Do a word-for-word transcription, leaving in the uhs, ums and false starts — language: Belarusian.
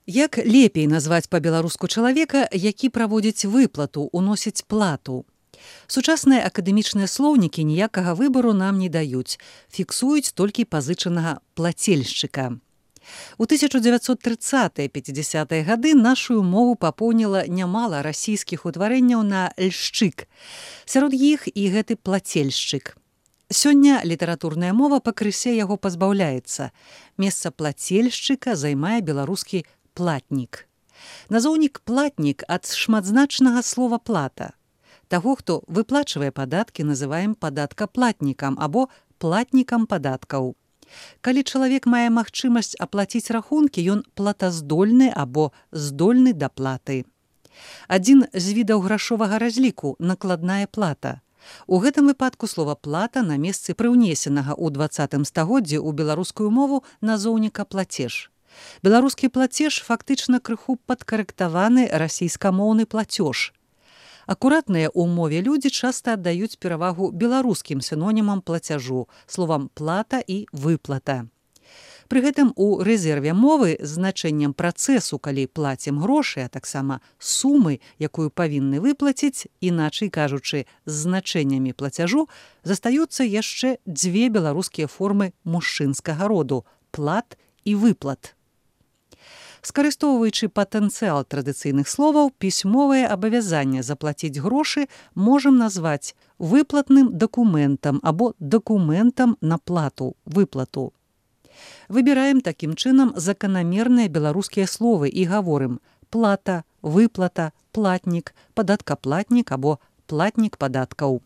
Як лепей назваць па-беларуску чалавека, які праводзіць выплату, уносіць плату? Сучасныя акадэмічныя слоўнікі ніякага выбару нам не даюць, фіксуюць толькі пазычанага плацельшчыка. У тысяча дзевяцьсот трыццатыя - пяцідзясятыя гады нашую мову папоўніла нямала расійскіх утварэнняў на льшчык. Сярод іх і гэты плацельшчык. Сёння літаратурная мова пакрысе яго пазбаўляецца. Месца плацельшчыка займае беларускі платнік. Назоўнік платнік ад шматзначнага слова плата. Таго, хто выплачвае падаткі, называем падаткаплатнікам або платнікам падаткаў. Калі чалавек мае магчымасць аплаціць рахункі, ён платаздольны або здольны да платы. Адзін з відаў грашовага разліку – накладная плата. У гэтым выпадку слова плата на месцы прыўнесенага ў дваццатым стагоддзі ў беларускую мову назоўніка плацеж. Беларускі плацеж фактычна крыху падкарэктаваны расійскамоўны плацёж. Акуратныя ў мове людзі часта аддаюць перавагу беларускім сінонімам плацяжу, словам плата і выплата. Пры гэтым у рэзерве мовы з значэннем працэсу, калі плацім грошы, а таксама сумы, якую павінны выплаціць, іначай кажучы, з значэннямі плацяжу, застаюцца яшчэ дзве беларускія формы мужчынскага роду – плат і выплат. Скарыстоўваючы патэнцыял традыцыйных словаў, пісьмовае абавязанне заплаціць грошы можам назваць выплатным дакументам або дакументам на плату, выплату. Выбіраем такім чынам заканамерныя беларускія словы і гаворым плата, выплата, платнік, падаткаплатнік або платнік падаткаў.